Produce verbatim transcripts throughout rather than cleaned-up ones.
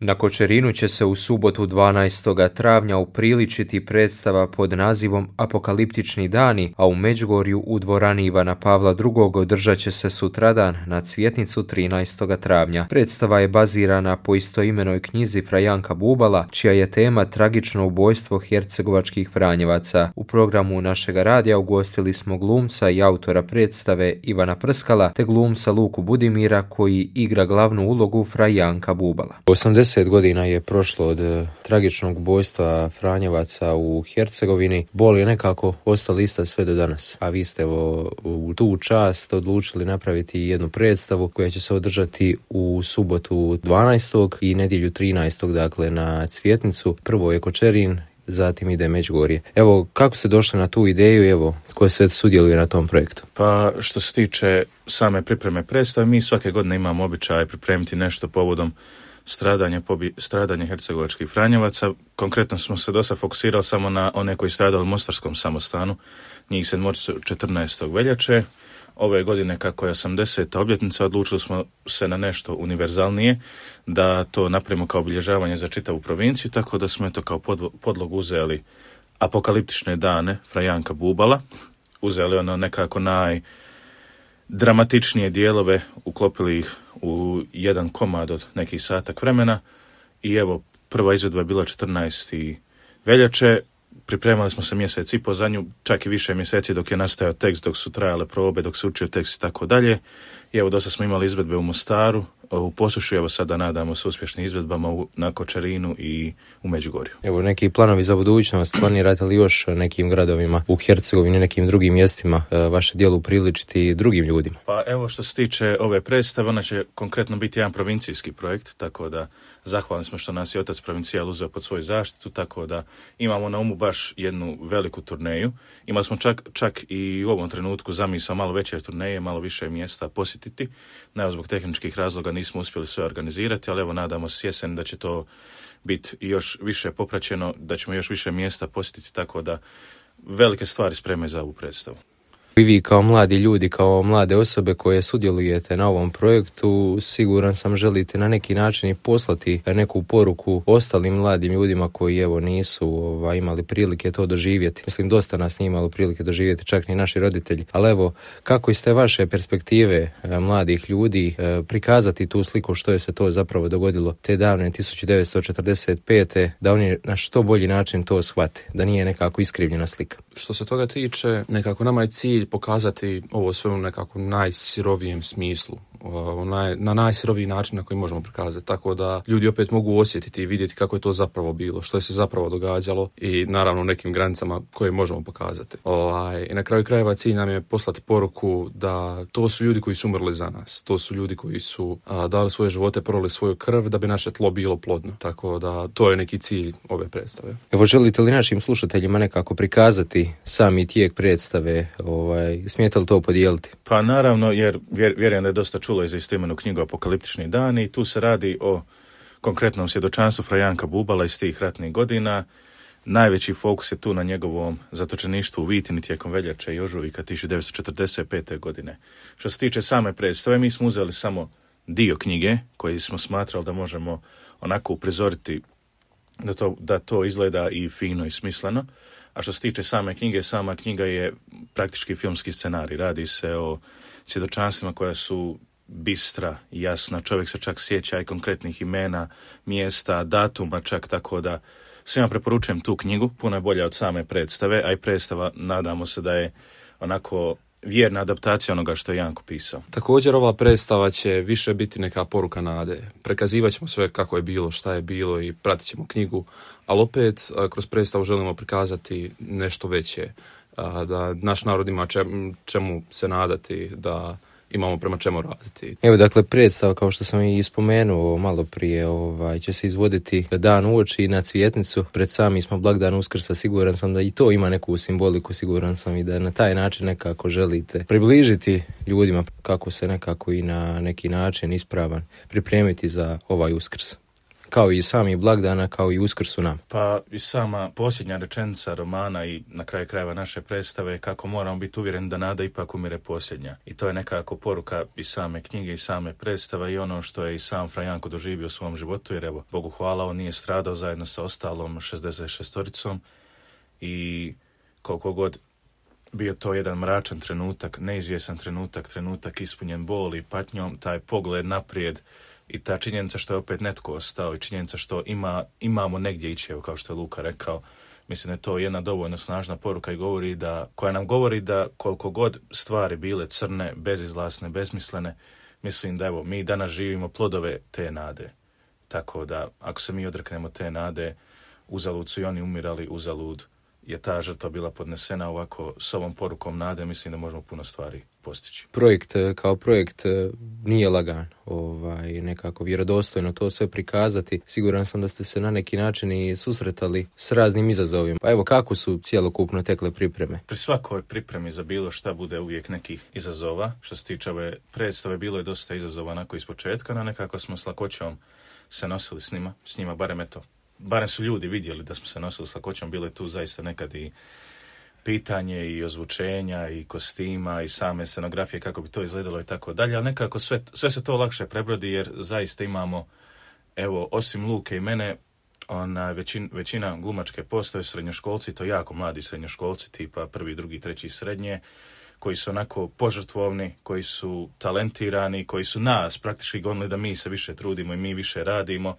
Na Kočerinu će se u subotu dvanaestog travnja upriličiti predstava pod nazivom Apokaliptični dani, a u Međugorju u dvorani Ivana Pavla drugog održat će se sutradan na Cvjetnicu trinaestog travnja. Predstava je bazirana po istoimenoj knjizi Fra Janka Bubala, čija je tema tragično ubojstvo hercegovačkih Franjevaca. U programu našega radija ugostili smo glumca i autora predstave Ivana Prskala te glumca Luku Budimira koji igra glavnu ulogu Fra Janka Bubala. osamdeset godina je prošlo od e, tragičnog ubojstva Franjevaca u Hercegovini. Bol je nekako ostala ista sve do danas. A vi ste evo, u tu čast odlučili napraviti jednu predstavu koja će se održati u subotu dvanaestog i nedjelju trinaestog dakle na Cvjetnicu. Prvo je Kočerin, zatim ide Međugorje. Evo, kako ste došli na tu ideju, evo, ko se sudjeluje na tom projektu? Pa, što se tiče same pripreme predstave, mi svake godine imamo običaj pripremiti nešto povodom stradanja, pobi, stradanja hercegovačkih Franjevaca. Konkretno smo se dosta fokusirali samo na one koji stradali u Mostarskom samostanu, njih sedmoricu četrnaestog veljače. Ove godine, kako je osamdeseta obljetnica, odlučili smo se na nešto univerzalnije, da to napravimo kao obilježavanje za čitavu provinciju, tako da smo eto kao podlogu uzeli Apokaliptične dane Fra Janka Bubala, uzeli ono nekako najdramatičnije dijelove, uklopili ih u jedan komad od nekih satak vremena i evo, prva izvedba je bila četrnaestog veljače. Pripremali smo se mjesec i po za nju, čak i više mjeseci dok je nastajao tekst, dok su trajale probe, dok se učio tekst i tako dalje. I evo, dosta smo imali izvedbe u Mostaru, u Posušju, evo sada nadamo se uspješnim izvedbama u, na Kočerinu i u Međugorju. Evo, neki planovi za budućnost, planirate li još nekim gradovima u Hercegovini, nekim drugim mjestima vaše djelo upriličiti drugim ljudima? Pa evo, što se tiče ove predstave, ona će konkretno biti jedan provincijski projekt, tako da zahvalni smo što nas je otac provincijal uzeo pod svoju zaštitu, tako da imamo na umu baš jednu veliku turneju. Imali smo čak, čak i u ovom trenutku zamisao malo veće turneje, malo više mjesta posjetiti. Ne, zbog tehničkih razloga nismo uspjeli sve organizirati, ali evo nadamo se jesen da će to biti još više popraćeno, da ćemo još više mjesta posjetiti, tako da velike stvari spremaju za ovu predstavu. I vi kao mladi ljudi, kao mlade osobe koje sudjelujete na ovom projektu, siguran sam želite na neki način i poslati neku poruku ostalim mladim ljudima koji evo nisu ovaj, imali prilike to doživjeti. Mislim, dosta nas nije imalo prilike doživjeti, čak ni naši roditelji. Ali evo, kako iz te vaše perspektive mladih ljudi prikazati tu sliku što je se to zapravo dogodilo te davne tisuću devetsto četrdeset pete da oni na što bolji način to shvate, da nije nekako iskrivljena slika? Što se toga tiče, nekako nama je cilj pokazati ovo sve u nekako najsirovijem smislu, na najsiroviji način na koji možemo prikazati, tako da ljudi opet mogu osjetiti i vidjeti kako je to zapravo bilo, što je se zapravo događalo i naravno u nekim granicama koje možemo pokazati. Ovaj, i na kraju krajeva cilj nam je poslati poruku da to su ljudi koji su umrli za nas, to su ljudi koji su a, dali svoje živote, prolili svoju krv da bi naše tlo bilo plodno, tako da to je neki cilj ove predstave. Evo, želite li našim slušateljima nekako prikazati sami tijek predstave, ovaj, smijete li to podijeliti? Pa naravno, jer vjer, vjerujem da je dosta čulo i za istoimenu knjigu Apokaliptični dani i tu se radi o konkretnom svjedočanstvu Fra Janka Bubala iz tih ratnih godina. Najveći fokus je tu na njegovom zatočeništvu u Vitini tijekom veljače i ožujka tisuću devetsto četrdeset pete. godine. Što se tiče same predstave, mi smo uzeli samo dio knjige koji smo smatrali da možemo onako uprizoriti da to, da to izgleda i fino i smisleno. A što se tiče same knjige, sama knjiga je praktički filmski scenarij. Radi se o svjedočanstvima koja su bistra, jasna, čovjek se čak sjeća i konkretnih imena, mjesta, datuma čak, tako da svima preporučujem tu knjigu, puno je bolja od same predstave, a i predstava nadamo se da je onako vjerna adaptacija onoga što je Janko pisao. Također ova predstava će više biti neka poruka nade. Prekazivat ćemo sve kako je bilo, šta je bilo i pratit ćemo knjigu, ali opet kroz predstavu želimo prikazati nešto veće, da naš narod ima čemu se nadati, da imamo prema čemu raditi. Evo, dakle, predstava, kao što sam i spomenuo malo prije, ovaj, će se izvoditi dan uoči na Cvjetnicu. Pred sami smo blagdan Uskrsa, siguran sam da i to ima neku simboliku, siguran sam i da na taj način nekako želite približiti ljudima kako se nekako i na neki način ispravan pripremiti za ovaj Uskrs. kao i sami blagdana, kao i Uskrs u nam. Pa i sama posljednja rečenica romana i na kraju krajeva naše predstave je kako moramo biti uvjereni da nada ipak umire posljednja. I to je nekako poruka i same knjige i same predstave i ono što je i sam Fra Janko doživio u svom životu, jer evo, Bogu hvala, on nije stradao zajedno sa ostalom šezdeset šestoricom i koliko god bio to jedan mračan trenutak, neizvjesan trenutak, trenutak ispunjen boli i patnjom, taj pogled naprijed i ta činjenica što je opet netko ostao i činjenica što ima, imamo negdje ići, evo kao što je Luka rekao, mislim da je to jedna dovoljno snažna poruka i govori da, koja nam govori da koliko god stvari bile crne, bezizlasne, besmislene, mislim da evo, mi danas živimo plodove te nade. Tako da, ako se mi odreknemo te nade, uzalud su i oni umirali, uzalud je ta žrtva bila podnesena. Ovako, s ovom porukom nade, mislim da možemo puno stvari postići. Projekt kao projekt nije lagan, ovaj, nekako vjerodostojno to sve prikazati. Siguran sam da ste se na neki način i susretali s raznim izazovima. Pa evo, kako su cjelokupno tekle pripreme? Pri svakoj pripremi za bilo šta bude uvijek nekih izazova. Što se tiče ove predstave, bilo je dosta izazova onako iz početka, no nekako smo s lakoćom se nosili s njima, s njima barem eto. Barem su ljudi vidjeli da smo se nosili s lakoćom, bilo je tu zaista nekad i pitanje i ozvučenja i kostima i same scenografije kako bi to izgledalo i tako dalje, ali nekako sve, sve se to lakše prebrodi jer zaista imamo, evo, osim Luke i mene, ona, većin, većina glumačke postave srednjoškolci, to jako mladi srednjoškolci, tipa prvi, drugi, treći srednje, koji su onako požrtvovni, koji su talentirani, koji su nas praktički gonili da mi se više trudimo i mi više radimo.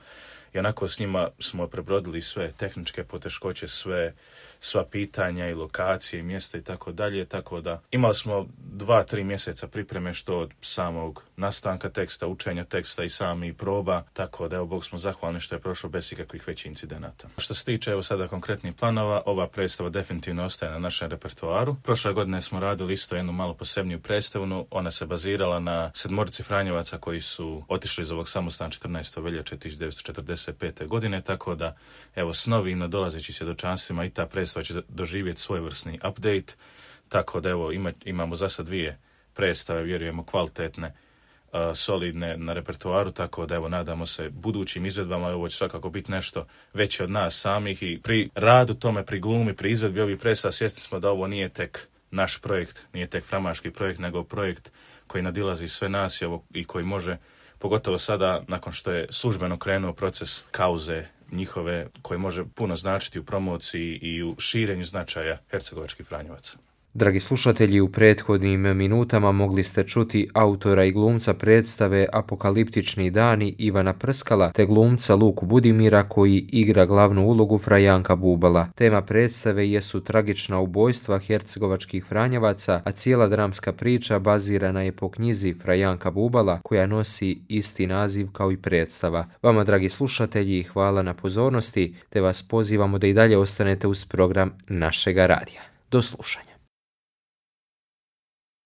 I onako s njima smo prebrodili sve tehničke poteškoće, sve, sva pitanja i lokacije i mjesta i tako dalje, tako da imali smo dva, tri mjeseca pripreme što od samog nastanka teksta, učenja teksta i sami proba, tako da evo Bog smo zahvalni što je prošlo bez ikakvih većih incidenata. Što se tiče evo sada konkretnih planova, ova predstava definitivno ostaje na našem repertoaru. Prošle godine smo radili isto jednu malo posebniju predstavu, ona se bazirala na sedmorici Franjevaca koji su otišli iz ovog samostana četrnaestog veljače tisuću devetsto četrdeset pete. godine, tako da evo s novim nadolazećim svjedočanstvima i ta predstava će doživjeti svojevrsni update, tako da evo ima, imamo za sad dvije predstave, vjerujemo kvalitetne, uh, solidne na repertoaru, tako da evo nadamo se budućim izvedbama, ovo će svakako biti nešto veće od nas samih i pri radu tome, pri glumi, pri izvedbi ovih predstava svjesni smo da ovo nije tek naš projekt, nije tek framaški projekt, nego projekt koji nadilazi sve nas i, ovo, i koji može, pogotovo sada, nakon što je službeno krenuo proces kauze njihove, koji može puno značiti u promociji i u širenju značaja hercegovačkih Franjevaca. Dragi slušatelji, u prethodnim minutama mogli ste čuti autora i glumca predstave Apokaliptični dani Ivana Prskala te glumca Luku Budimira koji igra glavnu ulogu Fra Janka Bubala. Tema predstave jesu tragična ubojstva hercegovačkih Franjevaca, a cijela dramska priča bazirana je po knjizi Fra Janka Bubala koja nosi isti naziv kao i predstava. Vama, dragi slušatelji, hvala na pozornosti te vas pozivamo da i dalje ostanete uz program našega radija. Do slušanja.